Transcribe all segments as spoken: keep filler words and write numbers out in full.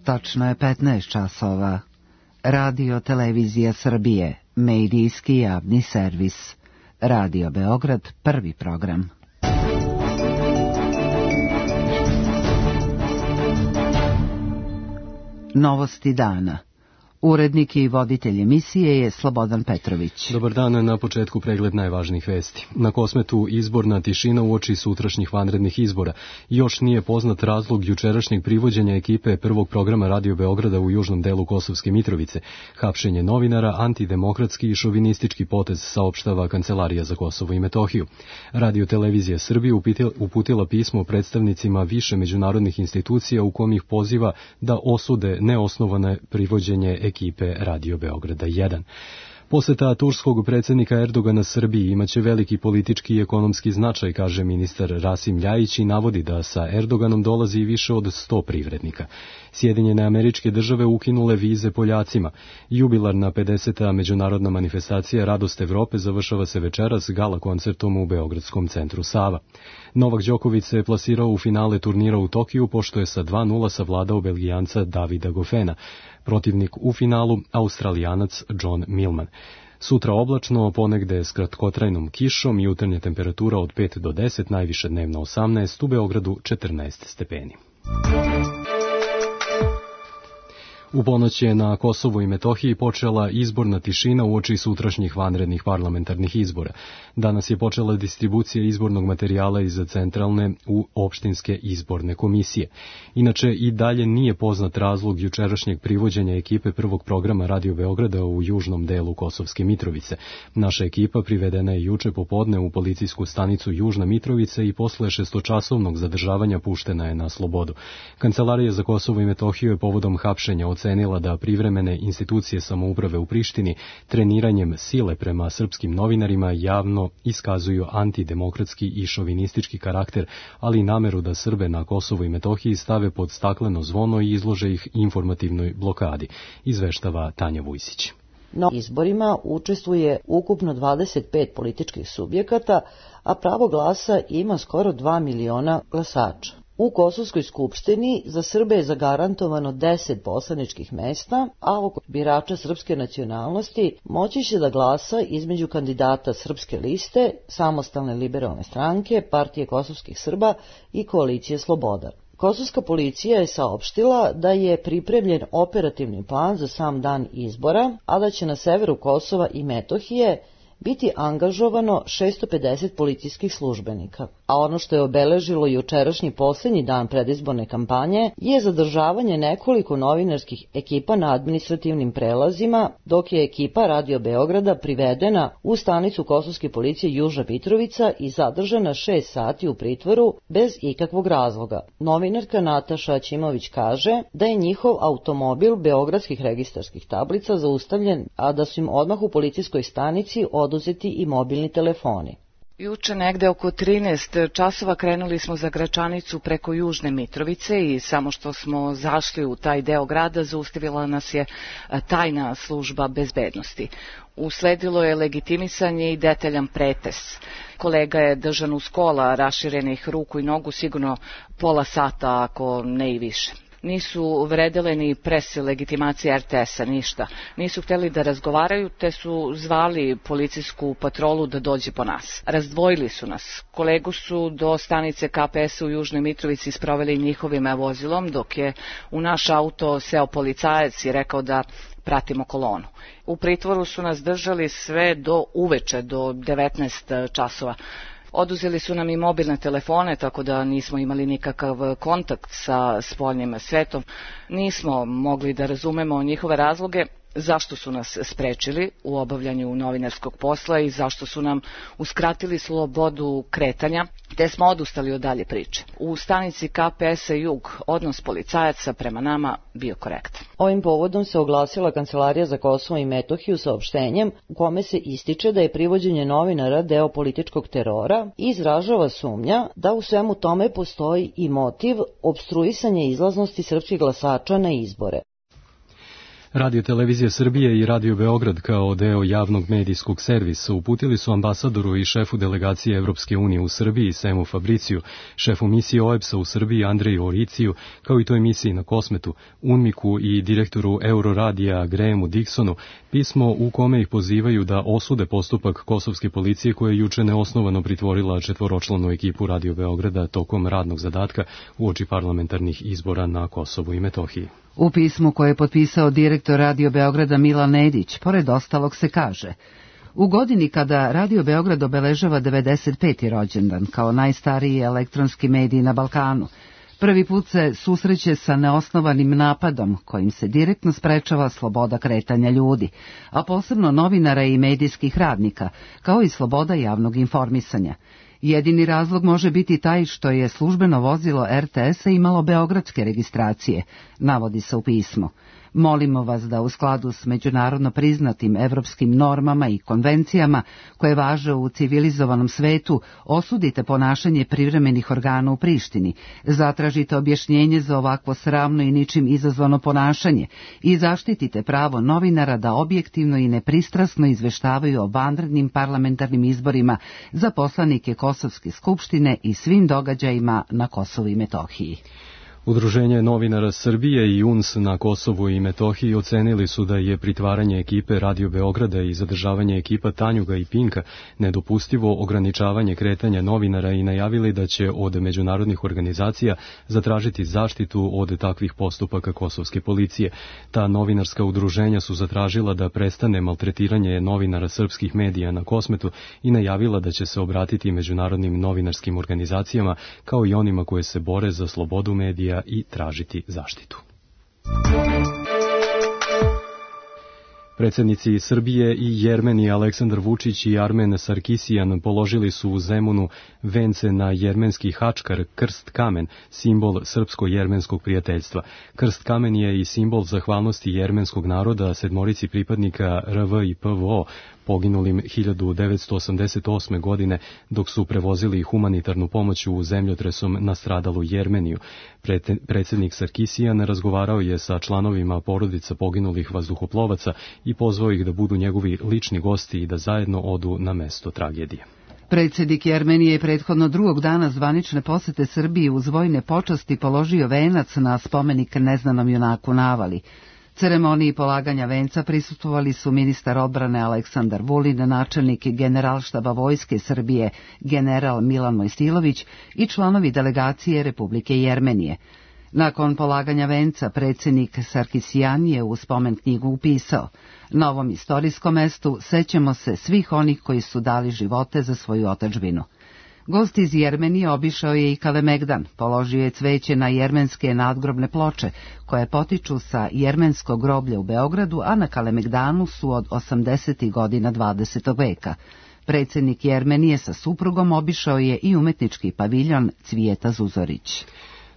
Tačno je petnaest časova. Radio Televizija Srbije, medijski javni servis. Radio Beograd, prvi program. Novosti dana. Urednik i voditelj emisije je Slobodan Petrović. Dobar dan, na početku pregled najvažnijih vesti. Na Kosmetu izborna tišina uoči sutrašnjih vanrednih izbora. Još nije poznat razlog jučerašnjeg privođenja ekipe prvog programa Radio Beograda u južnom delu Kosovske Mitrovice. Hapšenje novinara, antidemokratski i šovinistički potez, saopštava Kancelarija za Kosovo i Metohiju. Radio Televizija Srbije uputila pismo predstavnicima više međunarodnih institucija u kom ih poziva da osude neosnovane privođenje ekipe Radio Beograda jedan. Poseta turskog predsjednika Erdogana Srbiji imaće veliki politički i ekonomski značaj, kaže ministar Rasim Ljajić i navodi da sa Erdoganom dolazi više od sto privrednika. Sjedinjene Američke Države ukinule vize Poljacima. Jubilarna pedeseta međunarodna manifestacija Radost Evrope završava se večeras gala koncertom u Beogradskom centru Sava. Novak Đoković se plasirao u finale turnira u Tokiju, pošto je sa dva nula savladao Belgijanca Davida Goffena. Protivnik u finalu, Australijanac John Millman. Sutra oblačno, ponegde s kratkotrajnom kišom, jutarnja temperatura od pet do deset, najviše dnevno osamnaest, u Beogradu četrnaest stepeni. U ponoć je na Kosovu i Metohiji počela izborna tišina uoči sutrašnjih vanrednih parlamentarnih izbora. Danas je počela distribucija izbornog materijala iz centralne u opštinske izborne komisije. Inače, i dalje nije poznat razlog jučerašnjeg privođenja ekipe prvog programa Radio Beograda u južnom delu Kosovske Mitrovice. Naša ekipa privedena je juče popodne u policijsku stanicu Južna Mitrovica i posle šestočasovnog zadržavanja puštena je na slobodu. Kancelarija za Kosovo i Metohiju je povodom hapšenja ocenila da privremene institucije samouprave u Prištini treniranjem sile prema srpskim novinarima javno iskazuju antidemokratski i šovinistički karakter, ali i nameru da Srbe na Kosovu i Metohiji stave pod stakleno zvono i izlože ih informativnoj blokadi, izveštava Tanja Vujsić. Na izborima učestvuje ukupno dvadeset pet političkih subjekata, a pravo glasa ima skoro dva miliona glasača. U Kosovskoj skupštini za Srbe je zagarantovano deset poslaničkih mesta, a oko birača srpske nacionalnosti moći će da glasa između kandidata Srpske liste, Samostalne liberalne stranke, Partije kosovskih Srba i Koalicije Sloboda. Kosovska policija je saopštila da je pripremljen operativni plan za sam dan izbora, a da će na severu Kosova i Metohije biti angažovano šesto pedeset policijskih službenika. A ono što je obeležilo jučerašnji posljednji dan predizborne kampanje je zadržavanje nekoliko novinarskih ekipa na administrativnim prelazima, dok je ekipa Radio Beograda privedena u stanicu kosovske policije Južna Mitrovica i zadržana šest sati u pritvoru bez ikakvog razloga. Novinarka Nataša Aćimović kaže da je njihov automobil beogradskih registarskih tablica zaustavljen, a da su im odmah u policijskoj stanici oduzeti i mobilni telefoni. Juče negde oko trinaest časova krenuli smo za Gračanicu preko Južne Mitrovice i samo što smo zašli u taj deo grada zaustavila nas je tajna služba bezbednosti. Usledilo je legitimisanje i detaljan pretres. Kolega je držan uz kola raširenih ruku i nogu sigurno pola sata, ako ne i više. Nisu vredele ni presi legitimacije er te es-a, ništa. Nisu htjeli da razgovaraju, te su zvali policijsku patrolu da dođe po nas. Razdvojili su nas. Kolegu su do stanice ka pe es-a u Južnoj Mitrovici sproveli njihovim vozilom, dok je u naš auto seo policajac i rekao da pratimo kolonu. U pritvoru su nas držali sve do uveče, do devetnaest časova. Oduzeli su nam i mobilne telefone, tako da nismo imali nikakav kontakt sa spoljnim svetom. Nismo mogli da razumemo njihove razloge zašto su nas sprečili u obavljanju novinarskog posla i zašto su nam uskratili slobodu kretanja, te smo odustali od dalje priče. U stanici ka pe es-a Jug odnos policajaca prema nama bio korektan. Ovim povodom se oglasila Kancelarija za Kosovo i Metohiju saopštenjem u kome se ističe da je privođenje novinara deo političkog terora i izražava sumnja da u svemu tome postoji i motiv opstruisanja izlaznosti srpskih glasača na izbore. Radio Televizija Srbije i Radio Beograd kao deo javnog medijskog servisa uputili su ambasadoru i šefu delegacije Evropske unije u Srbiji Semu Fabriciju, šefu misije O E B S-a u Srbiji Andreju Oriciju, kao i toj misiji na Kosmetu, UNMIK-u i direktoru Euroradija Grahamu Dixonu, pismo u kome ih pozivaju da osude postupak kosovske policije koja je juče neosnovano pritvorila četvoročlanu ekipu Radio Beograda tokom radnog zadatka uoči parlamentarnih izbora na Kosovu i Metohiji. U pismu koje je potpisao direktor Radio Beograda Milan Nedić, pored ostalog se kaže: u godini kada Radio Beograd obeležava devedeset peti rođendan kao najstariji elektronski medij na Balkanu, prvi put se susreće sa neosnovanim napadom kojim se direktno sprečava sloboda kretanja ljudi, a posebno novinara i medijskih radnika, kao i sloboda javnog informisanja. Jedini razlog može biti taj što je službeno vozilo R T S-a imalo beogradske registracije, navodi se u pismu. Molimo vas da u skladu s međunarodno priznatim evropskim normama i konvencijama koje važe u civilizovanom svetu osudite ponašanje privremenih organa u Prištini, zatražite objašnjenje za ovakvo sramno i ničim izazvano ponašanje i zaštitite pravo novinara da objektivno i nepristrasno izveštavaju o vanrednim parlamentarnim izborima za poslanike Kosovske skupštine i svim događajima na Kosovu i Metohiji. Udruženje novinara Srbije i U N S na Kosovu i Metohiji ocenili su da je pritvaranje ekipe Radio Beograda i zadržavanje ekipa Tanjuga i Pinka nedopustivo ograničavanje kretanja novinara i najavili da će od međunarodnih organizacija zatražiti zaštitu od takvih postupaka kosovske policije. Ta novinarska udruženja su zatražila da prestane maltretiranje novinara srpskih medija na Kosmetu i najavila da će se obratiti međunarodnim novinarskim organizacijama kao i onima koje se bore za slobodu medija i tražiti zaštitu. Predsjednici Srbije i Jermenije Aleksandar Vučić i Armen Sarkisijan položili su u Zemunu vence na jermenski hačkar krst kamen, simbol srpsko-jermenskog prijateljstva. Krst kamen je i simbol zahvalnosti jermenskog naroda sedmorici pripadnika R V i P V O poginulim hiljadu devetsto osamdeset osme. godine dok su prevozili humanitarnu pomoć u zemljotresom nastradalu Jermeniju. Predsjednik Sarkisijan razgovarao je sa članovima porodica poginulih vazduhoplovaca i pozvao ih da budu njegovi lični gosti i da zajedno odu na mesto tragedije. Predsjednik Jermenije je prethodno drugog dana zvanične posete Srbiji uz vojne počasti položio venac na spomenik neznanom junaku Navali. Ceremoniji polaganja venca prisustvovali su ministar odbrane Aleksandar Vulin, načelnik Generalštaba Vojske Srbije general Milan Mojstilović i članovi delegacije Republike Jermenije. Nakon polaganja venca predsjednik Sarkisijan je u spomen knjigu upisao: na ovom istorijskom mestu sećamo se svih onih koji su dali živote za svoju otadžbinu. Gost iz Jermenije obišao je i Kalemegdan, položio je cveće na jermenske nadgrobne ploče, koje potiču sa jermenskog groblja u Beogradu, a na Kalemegdanu su od osamdesetih godina dvadesetog veka. Predsjednik Jermenije sa suprugom obišao je i umetnički paviljon Cvijeta Zuzorić.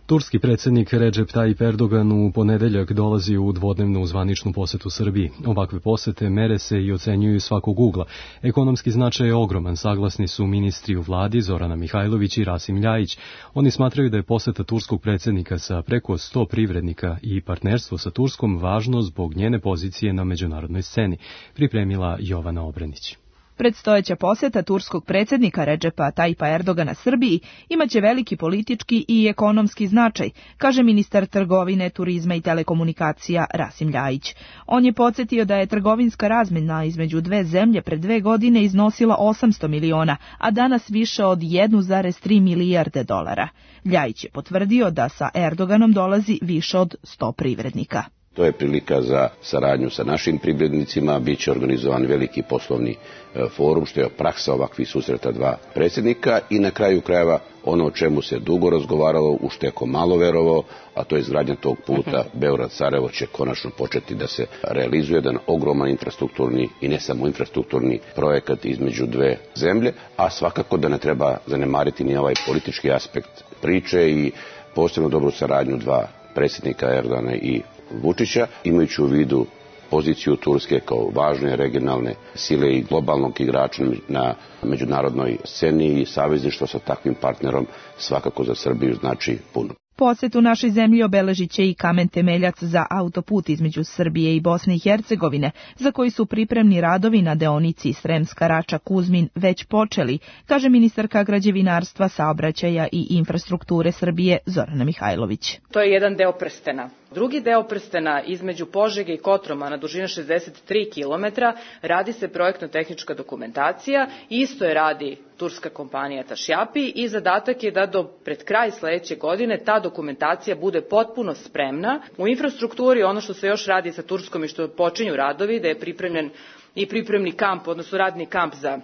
Turski predsjednik Recep Tayyip Erdogan u ponedeljak dolazi u dvodnevnu zvaničnu posetu Srbiji. Ovakve posete mere se i ocenjuju svakog ugla. Ekonomski značaj je ogroman, saglasni su ministri u vladi Zorana Mihajlović i Rasim Ljajić. Oni smatraju da je poseta turskog predsjednika sa preko sto privrednika i partnerstvo sa Turskom važno zbog njene pozicije na međunarodnoj sceni, pripremila Jovana Obrenić. Predstojeća poseta turskog predsjednika Recepa Tayyipa Erdogana Srbiji imaće veliki politički i ekonomski značaj, kaže ministar trgovine, turizma i telekomunikacija Rasim Ljajić. On je podsjetio da je trgovinska razmjena između dve zemlje pred dve godine iznosila osamsto miliona, a danas više od jedan zarez tri milijarde dolara. Ljajić je potvrdio da sa Erdoganom dolazi više od sto privrednika. To je prilika za saradnju sa našim privrednicima, bit će organizovan veliki poslovni forum, što je praksa ovakvih susreta dva predsjednika i na kraju krajeva ono o čemu se dugo razgovaralo, u što je ko malo verovao, a to je izgradnja tog puta Beograd-Sarajevo će konačno početi da se realizuje jedan ogroman infrastrukturni i ne samo infrastrukturni projekat između dve zemlje, a svakako da ne treba zanemariti ni ovaj politički aspekt priče i posebno dobru saradnju dva predsjednika Erdogana i Vučića, imajući u vidu poziciju Turske kao važne regionalne sile i globalnog igrača na međunarodnoj sceni i savezništvo sa takvim partnerom svakako za Srbiju znači puno. Posetu našoj zemlji obeležit će i kamen temeljac za autoput između Srbije i Bosne i Hercegovine, za koji su pripremni radovi na deonici Sremska Rača-Kuzmin već počeli, kaže ministarka građevinarstva, saobraćaja i infrastrukture Srbije Zorana Mihajlović. To je jedan deo prstena. Drugi deo prstena između Požege i Kotromana, dužina šezdeset tri kilometra, radi se projektno-tehnička dokumentacija, isto je radi turska kompanija Tašjapi i zadatak je da do pred kraj sledeće godine ta dokumentacija bude potpuno spremna. U infrastrukturi ono što se još radi sa Turskom i što počinju radovi, da je pripremljen i pripremni kamp, odnosno radni kamp za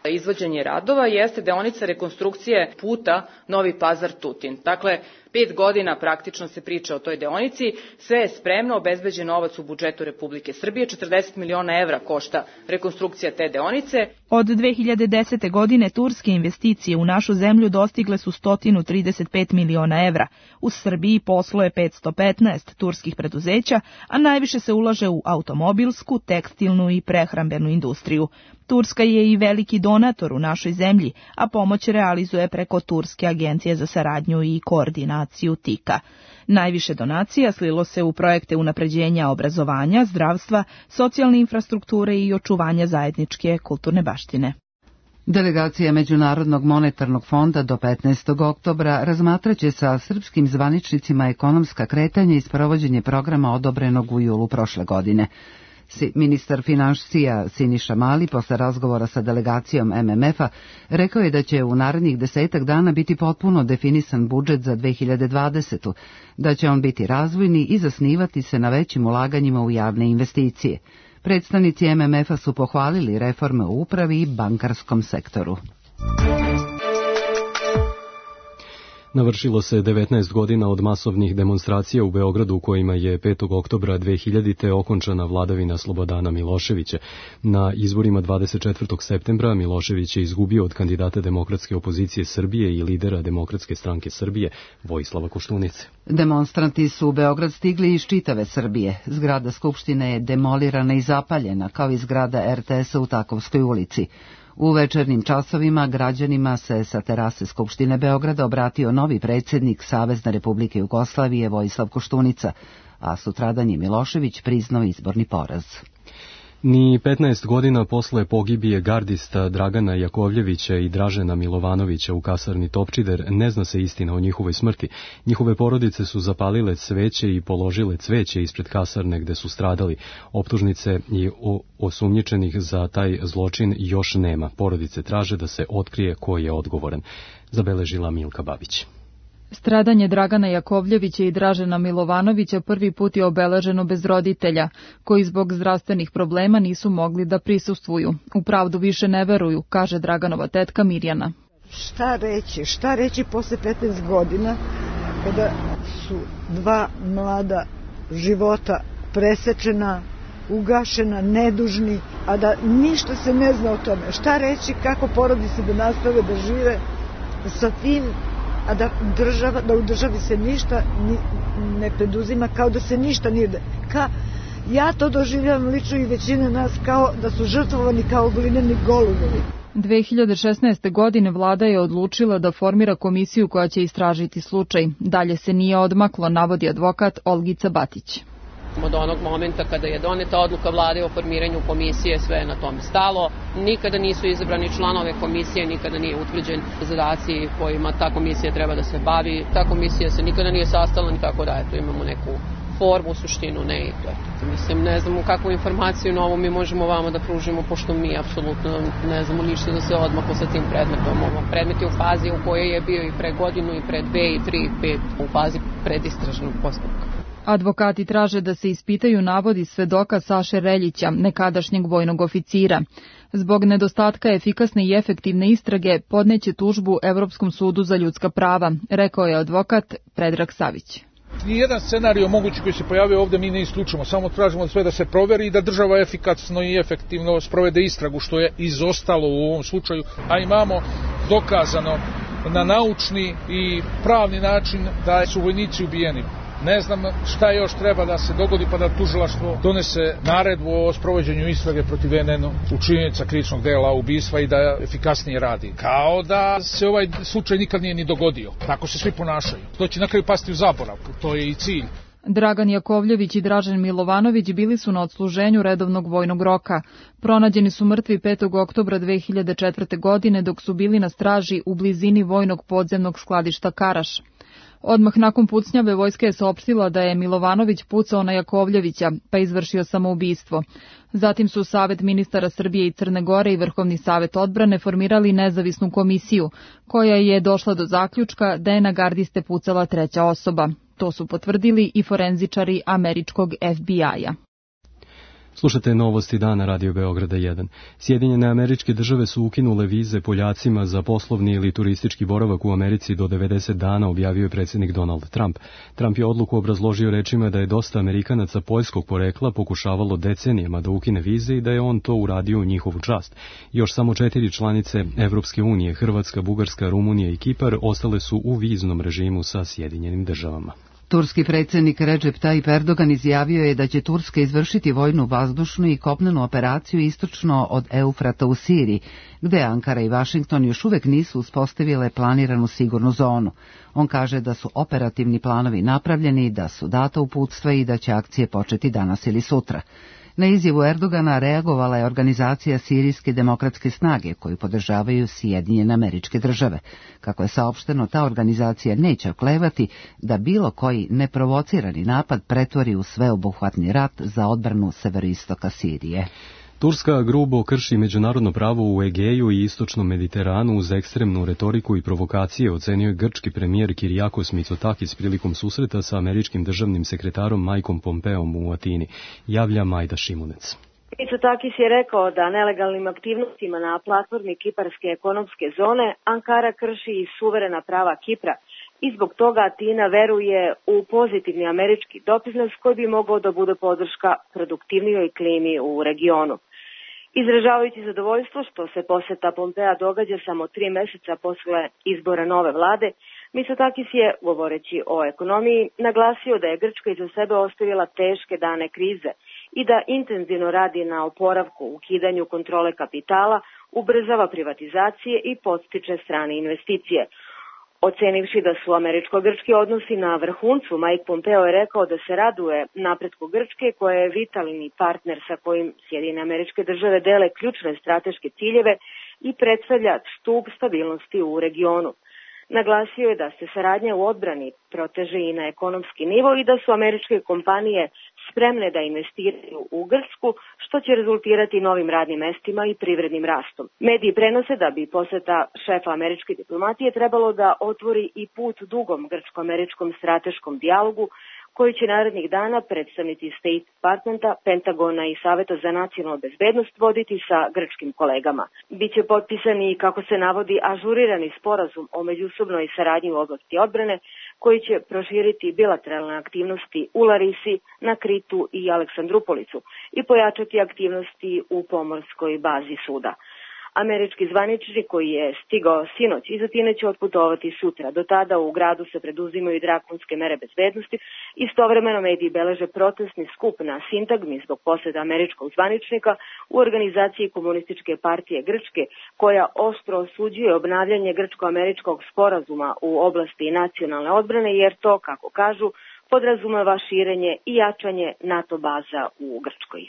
izvođenje radova, jeste deonica rekonstrukcije puta Novi Pazar-Tutin. Dakle, pet godina praktično se priča o toj deonici, sve je spremno, obezbeđen novac u budžetu Republike Srbije, četrdeset miliona evra košta rekonstrukcija te deonice. Od dve hiljade desete. godine turske investicije u našu zemlju dostigle su sto trideset pet miliona evra. U Srbiji posluje petsto petnaest turskih preduzeća, a najviše se ulaže u automobilsku, tekstilnu i prehrambenu industriju. Turska je i veliki donator u našoj zemlji, a pomoć realizuje preko Turske agencije za saradnju i koordinaciju TIKA. Najviše donacija slilo se u projekte unapređenja obrazovanja, zdravstva, socijalne infrastrukture i očuvanja zajedničke kulturne baštine. Delegacija Međunarodnog monetarnog fonda do petnaestog oktobra razmatraće sa srpskim zvaničnicima ekonomska kretanja i sprovođenje programa odobrenog u julu prošle godine. Ministar finansija Siniša Mali posle razgovora sa delegacijom M M F-a rekao je da će u narednih desetak dana biti potpuno definisan budžet za dve hiljade dvadesetu. Da će on biti razvojni i zasnivati se na većim ulaganjima u javne investicije. Predstavnici M M F-a su pohvalili reforme u upravi i bankarskom sektoru. Navršilo se devetnaest godina od masovnih demonstracija u Beogradu u kojima je petog oktobra dve hiljadite. okončana vladavina Slobodana Miloševića. Na izborima dvadeset četvrtog septembra Milošević je izgubio od kandidata Demokratske opozicije Srbije i lidera Demokratske stranke Srbije Vojislava Koštunice. Demonstranti su u Beograd stigli iz čitave Srbije. Zgrada Skupštine je demolirana i zapaljena, kao i zgrada R T S-a u Takovskoj ulici. U večernjim časovima građanima se sa terase Skupštine Beograda obratio novi predsjednik Savezne Republike Jugoslavije Vojislav Koštunica, a sutradan je Milošević priznao izborni poraz. Ni petnaest godina posle pogibije gardista Dragana Jakovljevića i Dražena Milovanovića u kasarni Topčider ne zna se istina o njihovoj smrti. Njihove porodice su zapalile cveće i položile cveće ispred kasarne gde su stradali. Optužnice i osumnjičenih za taj zločin još nema. Porodice traže da se otkrije ko je odgovoran, zabeležila Milka Babić. Stradanje Dragana Jakovljevića i Dražena Milovanovića prvi put je obeleženo bez roditelja, koji zbog zdravstvenih problema nisu mogli da prisustvuju. U pravdu više ne veruju, kaže Draganova tetka Mirjana. Šta reći, šta reći posle petnaest godina, kada su dva mlada života presečena, ugašena, nedužni, a da ništa se ne zna o tome. Šta reći, kako porodice da nastave da žive sa tim, a da, država, da u državi se ništa ni, ne preduzima, kao da se ništa nije... Ka, ja to doživljavam lično i većina nas kao da su žrtvovani kao glineni golubovi. dve hiljade šesnaeste. godine vlada je odlučila da formira komisiju koja će istražiti slučaj. Dalje se nije odmaklo, navodi advokat Olgica Batić. Od onog momenta kada je doneta odluka vlade o formiranju komisije, sve je na tome stalo. Nikada nisu izabrani članove komisije, nikada nije utvrđen zadaci kojima ta komisija treba da se bavi. Ta komisija se nikada nije sastala, nikako da eto, imamo neku formu, suštinu, ne i to. Mislim, ne znamo kakvu informaciju novu mi možemo vama da pružimo, pošto mi apsolutno ne znamo ništa da se odmaklo sa tim predmetom. Ovo predmet je u fazi u kojoj je bio i pre godinu, i pre dve, i tri, i pet, u fazi predistražnog postupka. Advokati traže da se ispitaju navodi svedoka Saše Reljića, nekadašnjeg vojnog oficira. Zbog nedostatka efikasne i efektivne istrage podneće tužbu Evropskom sudu za ljudska prava, rekao je advokat Predrag Savić. Nijedan scenario mogući koji se pojavio ovdje mi ne isključimo, samo tražimo sve da se proveri i da država efikasno i efektivno sprovede istragu, što je izostalo u ovom slučaju, a imamo dokazano na naučni i pravni način da su vojnici ubijeni. Ne znam šta još treba da se dogodi pa da tužilaštvo donese naredbu o sprovođenju istrage protiv N N učinioca krivičnog dela ubistva i da efikasnije radi. Kao da se ovaj slučaj nikad nije ni dogodio. Tako se svi ponašaju. To će na kraju pasti u zaborav. To je i cilj. Dragan Jakovljević i Dražen Milovanović bili su na odsluženju redovnog vojnog roka. Pronađeni su mrtvi petog oktobra dve hiljade četvrte. godine dok su bili na straži u blizini vojnog podzemnog skladišta Karaš. Odmah nakon pucnjave vojska je saopštila da je Milovanović pucao na Jakovljevića, pa izvršio samoubistvo. Zatim su Savet ministara Srbije i Crne Gore i Vrhovni savet odbrane formirali nezavisnu komisiju, koja je došla do zaključka da je na gardiste pucala treća osoba. To su potvrdili i forenzičari američkog F B I-a. Slušate novosti dana Radio Beograda jedan. Sjedinjene Američke Države su ukinule vize Poljacima za poslovni ili turistički boravak u Americi do devedeset dana, objavio je predsjednik Donald Trump. Trump je odluku obrazložio rečima da je dosta Amerikanaca poljskog porekla pokušavalo decenijama da ukine vize i da je on to uradio u njihovu čast. Još samo četiri članice Evropske unije, Hrvatska, Bugarska, Rumunija i Kipar, ostale su u viznom režimu sa Sjedinjenim Državama. Turski predsjednik Recep Tayyip Erdogan izjavio je da će Turska izvršiti vojnu, vazdušnu i kopnenu operaciju istočno od Eufrata u Siriji, gde Ankara i Vašington još uvek nisu uspostavile planiranu sigurnu zonu. On kaže da su operativni planovi napravljeni, da su data uputstva i da će akcije početi danas ili sutra. Na izjavu Erdogana reagovala je organizacija Sirijske demokratske snage, koju podržavaju Sjedinjene Američke Države. Kako je saopšteno, ta organizacija neće oklevati da bilo koji neprovocirani napad pretvori u sveobuhvatni rat za odbranu severoistoka Sirije. Turska grubo krši međunarodno pravo u Egeju i istočnom Mediteranu uz ekstremnu retoriku i provokacije, ocenio je grčki premijer Kyriakos Mitsotakis prilikom susreta sa američkim državnim sekretarom Mikeom Pompeom u Atini, javlja Majda Šimunec. Mitsotakis je rekao da nelegalnim aktivnostima na platformi Kiparske ekonomske zone Ankara krši i suverena prava Kipra i zbog toga Atina veruje u pozitivni američki doprinos koji bi mogao da bude podrška produktivnijoj klimi u regionu. Izražavajući zadovoljstvo što se poseta Pompea događa samo tri meseca posle izbora nove vlade, Mitsotakis je, govoreći o ekonomiji, naglasio da je Grčka iza sebe ostavila teške dane krize i da intenzivno radi na oporavku, ukidanju kontrole kapitala, ubrzava privatizacije i podstiče strane investicije. Ocenivši da su američko-grčki odnosi na vrhuncu, Mike Pompeo je rekao da se raduje napretku Grčke, koja je vitalni partner sa kojim Sjedinjene Američke Države dele ključne strateške ciljeve i predstavlja stup stabilnosti u regionu. Naglasio je da se saradnja u odbrani proteže i na ekonomski nivo i da su američke kompanije spremne da investiraju u Grčku, što će rezultirati novim radnim mestima i privrednim rastom. Mediji prenose da bi poseta šefa američke diplomatije trebalo da otvori i put dugom grčko-američkom strateškom dijalogu, koji će narednih dana predstavnici State Departmenta, Pentagona i Saveta za nacionalnu bezbednost voditi sa grčkim kolegama. Biće potpisani, kako se navodi, ažurirani sporazum o međusobnoj saradnji u oblasti odbrane, koji će proširiti bilateralne aktivnosti u Larisi, na Kritu i Aleksandrupolicu i pojačati aktivnosti u pomorskoj bazi suda. Američki zvaničnik koji je stigao sinoć iz Atine će otputovati sutra. Do tada u gradu se preduzimaju drakonske mere bezbednosti. Istovremeno mediji beleže protestni skup na sintagmi zbog posjeta američkog zvaničnika u organizaciji Komunističke partije Grčke, koja oštro osuđuje obnavljanje grčko-američkog sporazuma u oblasti nacionalne odbrane, jer to, kako kažu, podrazumeva širenje i jačanje NATO baza u Grčkoj.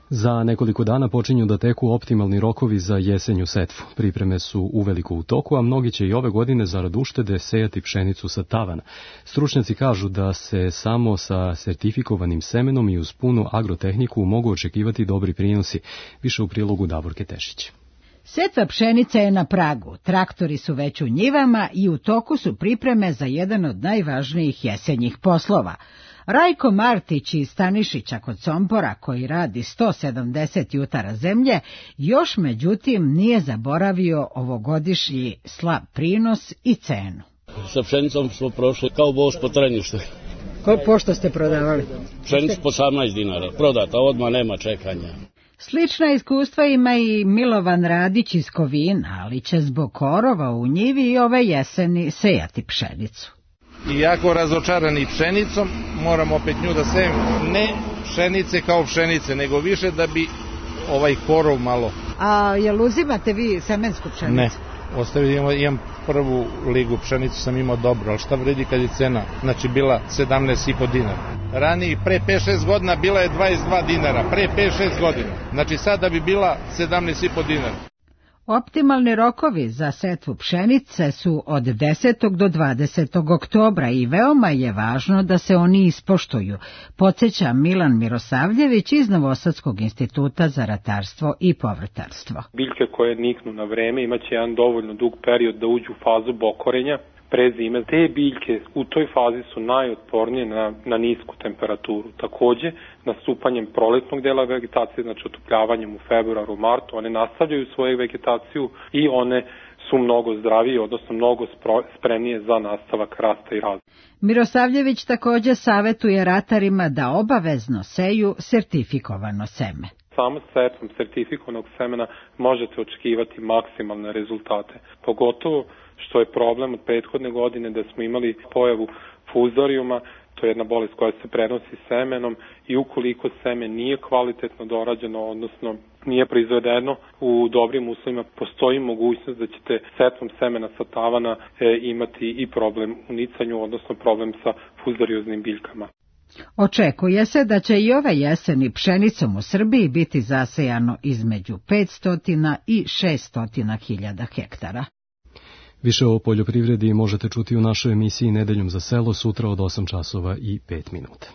Za nekoliko dana počinju da teku optimalni rokovi za jesenju setvu. Pripreme su uveliko u toku, a mnogi će i ove godine zarad uštede sejati pšenicu sa tavana. Stručnjaci kažu da se samo sa sertifikovanim semenom i uz punu agrotehniku mogu očekivati dobri prinosi. Više u prilogu Davorke Tešić. Setva pšenice je na pragu, traktori su već u njivama i u toku su pripreme za jedan od najvažnijih jesenjih poslova. Rajko Martić iz Stanišića kod Sompora, koji radi sto sedamdeset jutara zemlje, još međutim nije zaboravio ovogodišnji slab prinos i cenu. Sa pšenicom smo prošli kao voz po trenjuštu. Ko pošto ste prodavali? Pšenicu po osamnaest dinara, prodata, odmah nema čekanja. Slična iskustva ima i Milovan Radić iz Kovina, ali će zbog korova u njivi i ove jeseni sejati pšenicu. Iako razočarani pšenicom, moram opet nju da sejem, ne pšenice kao pšenice, nego više da bi ovaj korov malo. A jel uzimate vi semensku pšenicu? Ne, ostavio imam prvu ligu pšenicu, sam imao dobro, ali šta vredi kad je cena, znači bila sedamnaest i po dinara. Ranije, pre pet šest godina bila je dvadeset dva dinara, pre pet šest godina, znači sada bi bila sedamnaest i po dinara. Optimalni rokovi za setvu pšenice su od desetog do dvadesetog oktobra i veoma je važno da se oni ispoštuju, podsjeća Milan Mirosavljević iz Novosadskog instituta za ratarstvo i povrtarstvo. Biljke koje niknu na vreme imaće jedan dovoljno dug period da uđu u fazu bokorenja pre zime. Te biljke u toj fazi su najotpornije na, na nisku temperaturu. Takođe, nastupanjem proletnog dela vegetacije, znači otopljavanjem u februaru, martu, one nastavljaju svoju vegetaciju i one su mnogo zdravije, odnosno mnogo spremnije za nastavak rasta i razvoja. Mirosavljević takođe savetuje ratarima da obavezno seju sertifikovano seme. Samo setvom sertifikovanog semena možete očekivati maksimalne rezultate, pogotovo što je problem od prethodne godine da smo imali pojavu fuzorijuma, to je jedna bolest koja se prenosi semenom i ukoliko seme nije kvalitetno dorađeno, odnosno nije proizvedeno u dobrim uslovima, postoji mogućnost da ćete setvom semena sa tavana e, imati i problem u nicanju, odnosno problem sa fuzorioznim biljkama. Očekuje se da će i ove jeseni pšenicom u Srbiji biti zasejano između petsto i šesto hiljada hektara. Više o poljoprivredi možete čuti u našoj emisiji Nedeljom za selo sutra od osam časova i pet minuta.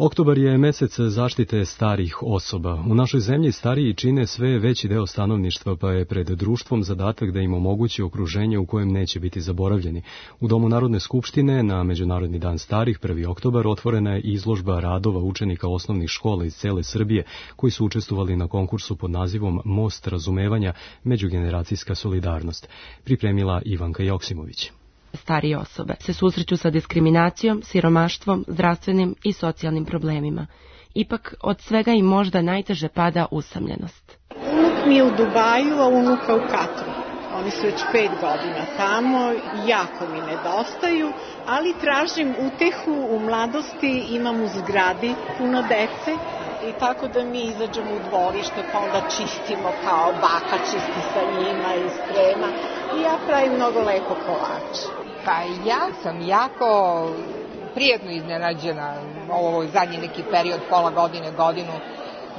Oktobar je mesec zaštite starih osoba. U našoj zemlji stariji čine sve veći deo stanovništva, pa je pred društvom zadatak da im omogući okruženje u kojem neće biti zaboravljeni. U Domu Narodne skupštine na Međunarodni dan starih, prvi oktobar, otvorena je izložba radova učenika osnovnih škola iz cele Srbije, koji su učestvovali na konkursu pod nazivom Most razumevanja, međugeneracijska solidarnost. Pripremila Ivanka Joksimović. Starije osobe se susreću sa diskriminacijom, siromaštvom, zdravstvenim i socijalnim problemima. Ipak, od svega im možda najteže pada usamljenost. Unuk mi je u Dubaju, a unuka u Katru. Oni su već pet godina tamo, jako mi nedostaju, ali tražim utehu u mladosti, imam u zgradi puno dece i tako da mi izađemo u dvorište pa onda čistimo kao baka čisti sa njima i sprema i ja pravim mnogo lepo kolače. Pa ja sam jako prijatno iznenađena ovo zadnji neki period, pola godine, godinu,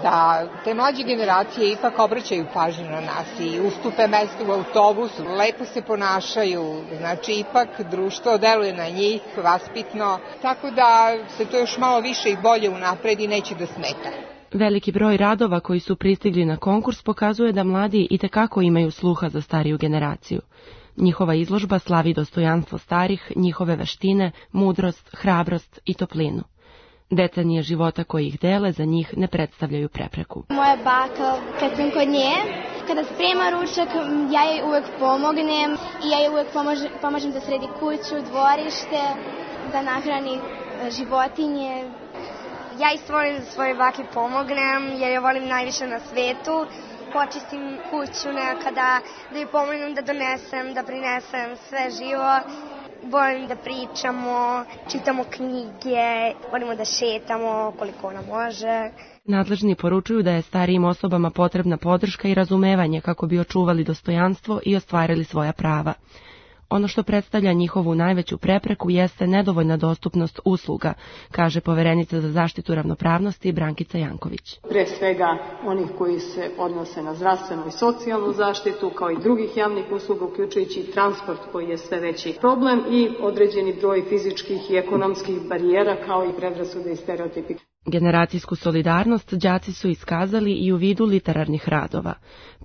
da te mlađe generacije ipak obraćaju pažnju na nas i ustupe mesto u autobusu, lepo se ponašaju, znači ipak društvo deluje na njih, vaspitno, tako da se to još malo više i bolje unapredi i neće da smeta. Veliki broj radova koji su pristigli na konkurs pokazuje da mladi itekako imaju sluha za stariju generaciju. Njihova izložba slavi dostojanstvo starih, njihove veštine, mudrost, hrabrost i toplinu. Decenije života koji ih dele za njih ne predstavljaju prepreku. Moja baka, kad sam kod nje, kada sprema ručak, ja joj uvek pomognem i ja joj uvek pomažem, pomažem da sredi kuću, dvorište, da nahrani životinje. Ja isto volim da svoje baki pomognem jer je volim najviše na svetu. Počistim kuću nekada, da joj pomognem da donesem, da prinesem sve živo. Volim da pričamo, čitamo knjige, volimo da šetamo koliko ona može. Nadležni poručuju da je starijim osobama potrebna podrška i razumevanje kako bi očuvali dostojanstvo i ostvarili svoja prava. Ono što predstavlja njihovu najveću prepreku jeste nedovoljna dostupnost usluga, kaže poverenica za zaštitu ravnopravnosti Brankica Janković. Pre svega onih koji se odnose na zdravstvenu i socijalnu zaštitu, kao i drugih javnih usluga, uključujući transport koji je sve veći problem i određeni broj fizičkih i ekonomskih barijera, kao i predrasude i stereotipi. Generacijsku solidarnost đaci su iskazali i u vidu literarnih radova.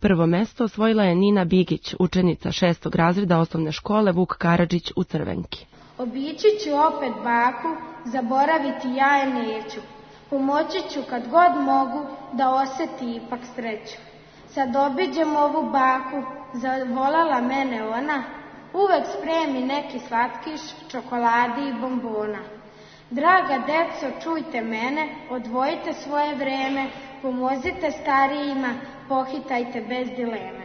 Prvo mesto osvojila je Nina Bigić, učenica šestog razreda osnovne škole Vuk Karadžić u Crvenki. Obići ću opet baku, zaboraviti ja je neću. Pomoći ću kad god mogu da oseti ipak sreću. Sad obiđem ovu baku, zavolala mene ona, uvek spremi neki slatkiš, čokoladi i bombona. Draga deco, čujte mene, odvojite svoje vreme, pomozite starijima, pohitajte bez dileme.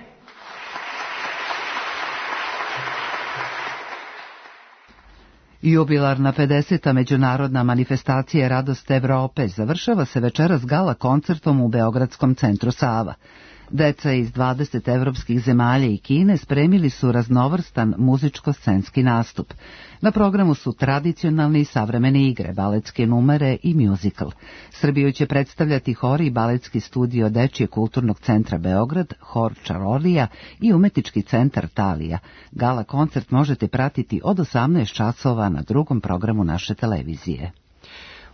Jubilarna pedeseta međunarodna manifestacija Radost Evrope završava se večeras gala koncertom u Beogradskom centru Sava. Deca iz dvadeset evropskih zemalja i Kine spremili su raznovrstan muzičko-scenski nastup. Na programu su tradicionalne i savremene igre, baletske numere i mjuzikl. Srbiju će predstavljati hor i baletski studio Dečijeg kulturnog centra Beograd, hor Čarolija i umetnički centar Talija. Gala koncert možete pratiti od osamnaest časova na drugom programu naše televizije.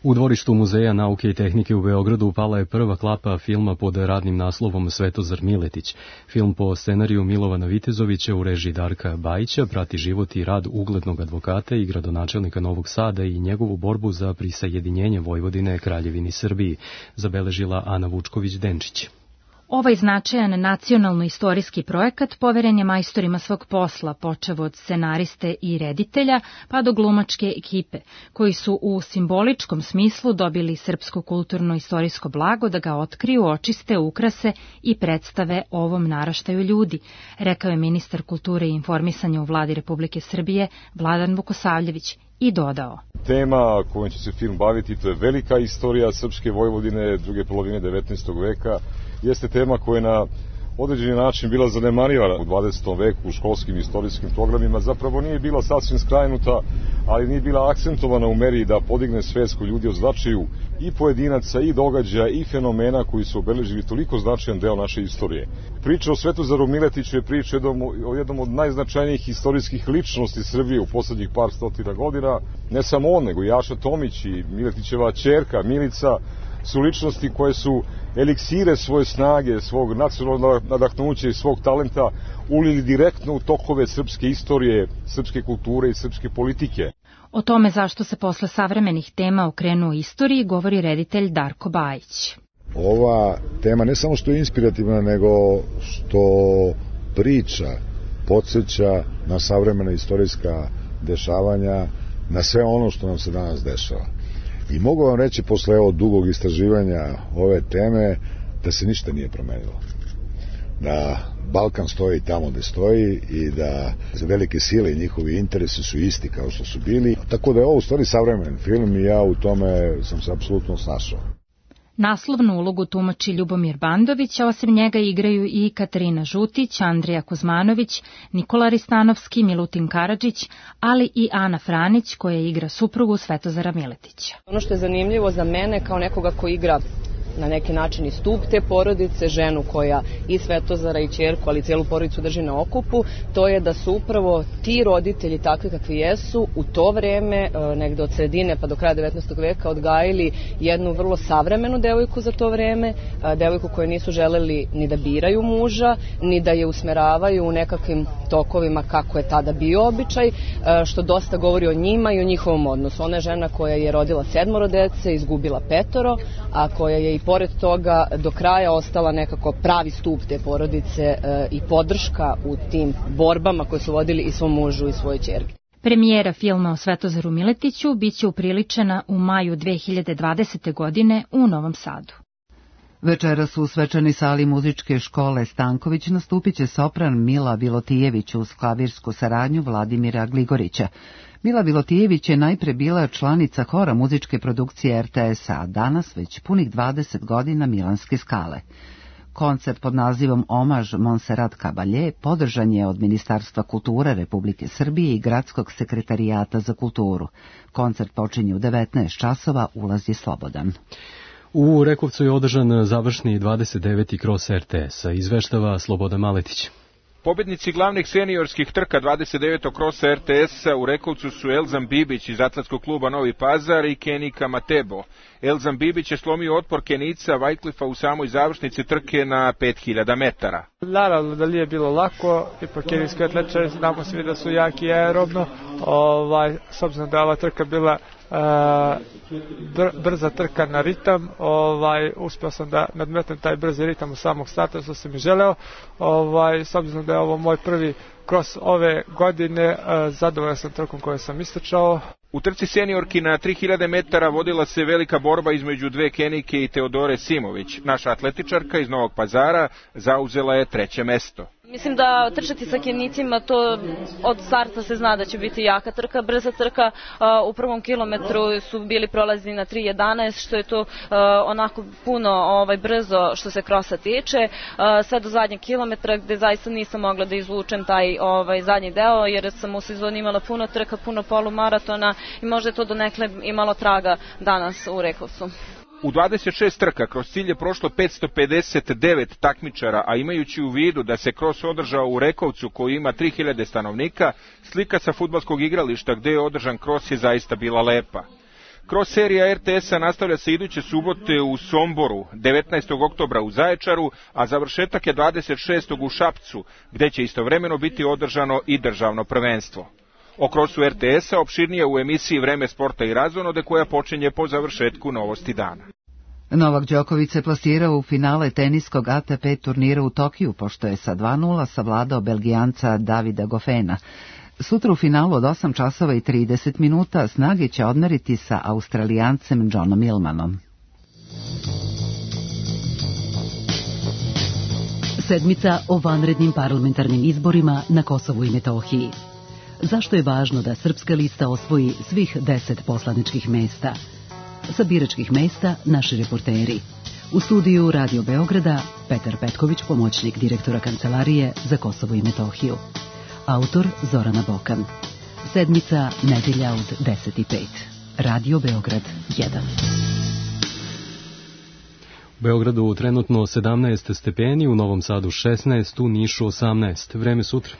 U dvorištu Muzeja nauke i tehnike u Beogradu upala je prva klapa filma pod radnim naslovom Svetozar Miletić. Film po scenariju Milovana Vitezovića u režiji Darka Bajića prati život i rad uglednog advokata i gradonačelnika Novog Sada i njegovu borbu za prisajedinjenje Vojvodine Kraljevini Srbiji, zabeležila Ana Vučković-Denčić. Ovaj značajan nacionalno-istorijski projekat poveren je majstorima svog posla, počev od scenariste i reditelja, pa do glumačke ekipe, koji su u simboličkom smislu dobili srpsko kulturno-istorijsko blago da ga otkriju, očiste, ukrase i predstave ovom naraštaju ljudi, rekao je ministar kulture i informisanja u vladi Republike Srbije Vladan Vukosavljević i dodao. Tema kojom će se film baviti, to je velika istorija srpske Vojvodine druge polovine devetnaestog veka, jeste tema koja je na određeni način bila zanemarivana u dvadesetom veku u školskim istorijskim programima, zapravo nije bila sasvim skrajnuta, ali nije bila akcentovana u meri da podigne svest kod ljudi o značaju i pojedinaca, i događaja, i fenomena koji su obeležili toliko značajan deo naše istorije. Priča o Svetozaru Miletiću je priča o jednom od najznačajnijih istorijskih ličnosti Srbije u poslednjih par stotina godina. Ne samo on, nego i Jaša Tomić i Miletićeva ćerka Milica su ličnosti koje su eliksire svoje snage, svog nacionalnog nadahnuća i svog talenta ulili direktno u tokove srpske istorije, srpske kulture i srpske politike. O tome zašto se posle savremenih tema okrenuo istoriji govori reditelj Darko Bajić. Ova tema ne samo što je inspirativna, nego što priča, podsjeća na savremena istorijska dešavanja, na sve ono što nam se danas dešava. I mogu vam reći posle evo dugog istraživanja ove teme da se ništa nije promenilo. Da Balkan stoji tamo gde stoji i da velike sile i njihovi interesi su isti kao što su bili. Tako da je ovo u stvari savremen film i ja u tome sam se apsolutno snašao. Naslovnu ulogu tumači Ljubomir Bandović, a osim njega igraju i Katarina Žutić, Andrija Kuzmanović, Nikola Ristanovski, Milutin Karadžić, ali i Ana Franić koja igra suprugu Svetozara Miletića. Ono što je zanimljivo za mene kao nekoga ko igra na neki način i stup te porodice, ženu koja i Svetozara i ćerku, ali cijelu porodicu drži na okupu, to je da su upravo ti roditelji takvi kakvi jesu u to vreme, negde od sredine pa do kraja devetnaestog veka, odgajili jednu vrlo savremenu devojku za to vreme, devojku koju nisu želeli ni da biraju muža, ni da je usmeravaju u nekakvim tokovima kako je tada bio običaj, što dosta govori o njima i o njihovom odnosu. Ona je žena koja je rodila sedmoro dece, izgubila petoro, a koja je i pored toga do kraja ostala nekako pravi stup te porodice e, i podrška u tim borbama koje su vodili i svom mužu i svoje ćerke. Premijera filma o Svetozaru Miletiću biće upriličena u maju dve hiljade dvadesete. godine u Novom Sadu. Večeras u svečanoj sali muzičke škole Stanković nastupit će sopran Mila Bilotijević uz klavirsku saradnju Vladimira Gligorića. Mila Bilotijević je najpre bila članica hora muzičke produkcije er te es a, a danas već punih dvadeset godina Milanske skale. Koncert pod nazivom Omaž Monserrat Caballé podržan je od Ministarstva kulture Republike Srbije i Gradskog sekretarijata za kulturu. Koncert počinje u devetnaest časova, ulaz je slobodan. U Rekovcu je održan završni dvadeset deveti kros er te es a, izveštava Sloboda Maletić. Pobednici glavnih seniorskih trka dvadeset devetog krosa er te es a u Rekovcu su Elzan Bibić iz Atletskog kluba Novi Pazar i Kenika Matebo. Elzan Bibić je slomio otpor Kenica Vajklifa u samoj završnici trke na pet hiljada metara. Naravno da nije bilo lako, ipak kenijski atletičari znamo svi da su jaki aerobno, ovaj, s obzirom da je ova trka bila Uh, br brza trka na ritam, ovaj, uspio sam da nadmetem taj brzi ritam u samog starta što sam i želeo, ovaj, s obzirom da je ovo moj prvi kros ove godine, uh, zadovoljan sam trkom koju sam istrčao. U trci seniorki na tri hiljade metara vodila se velika borba između dve Kenijke i Teodore Simović. Naša atletičarka iz Novog Pazara zauzela je treće mesto. Mislim da trčati sa Kenijcima, to od starta se zna da će biti jaka trka, brza trka. U prvom kilometru su bili prolazni na tri jedanaest, što je to onako puno ovaj, brzo što se krosa tiče. Sve do zadnjeg kilometra gde zaista nisam mogla da izvučem taj ovaj, zadnji deo, jer sam u sezoni imala puno trka, puno polumaratona i možda je to donekle imalo traga danas u Rekovcu. U dvadeset šest trka kroz cilj je prošlo petsto pedeset devet takmičara, a imajući u vidu da se kros održao u Rekovcu koji ima tri hiljade stanovnika, slika sa fudbalskog igrališta gde je održan kros je zaista bila lepa. Kros serija er te es-a nastavlja se iduće subote u Somboru, devetnaestog oktobra u Zaječaru, a završetak je dvadeset šestog u Šapcu, gde će istovremeno biti održano i državno prvenstvo. O krosu er te es-a opširnije u emisiji Vreme sporta i razonode koja počinje po završetku Novosti dana. Novak Đoković se plasirao u finale teniskog A T P turnira u Tokiju, pošto je sa dva nula savladao Belgijanca Davida Goffena. Sutra u finalu od osam časova i trideset minuta snage će odmeriti sa Australijancem Johnom Millmanom. Sedmica o vanrednim parlamentarnim izborima na Kosovu i Metohiji. Zašto je važno da Srpska lista osvoji svih deset poslaničkih mesta? Sa biračkih mesta naši reporteri. U studiju Radio Beograda Petar Petković, pomoćnik direktora Kancelarije za Kosovo i Metohiju. Autor Zorana Bokan. Sedmica, nedelja od deset i pet. Radio Beograd jedan. U Beogradu trenutno sedamnaest stepeni, u Novom Sadu šesnaest, u Nišu osamnaest. Vreme sutra.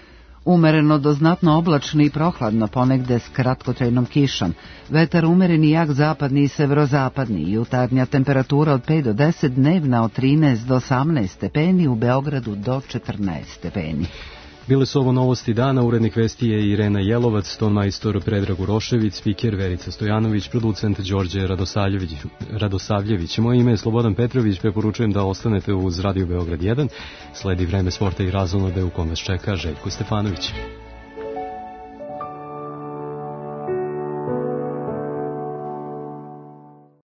Umereno do znatno oblačno i prohladno, ponegde s kratkotrajnom kišom. Vetar umeren i jak zapadni i severozapadni. Jutarnja temperatura od pet do deset, dnevna od trinaest do osamnaest stepeni, u Beogradu do četrnaest stepeni. Bile su ovo novosti dana, urednik vesti je Irena Jelovac, ton majstor Predrag Urošević, spiker Verica Stojanović, producent Đorđe Radosavljević. Radosavljević. Moje ime je Slobodan Petrović, preporučujem da ostanete uz Radio Beograd jedan. Sledi Vreme sporta i razonode u kome vas čeka Željko Stefanović.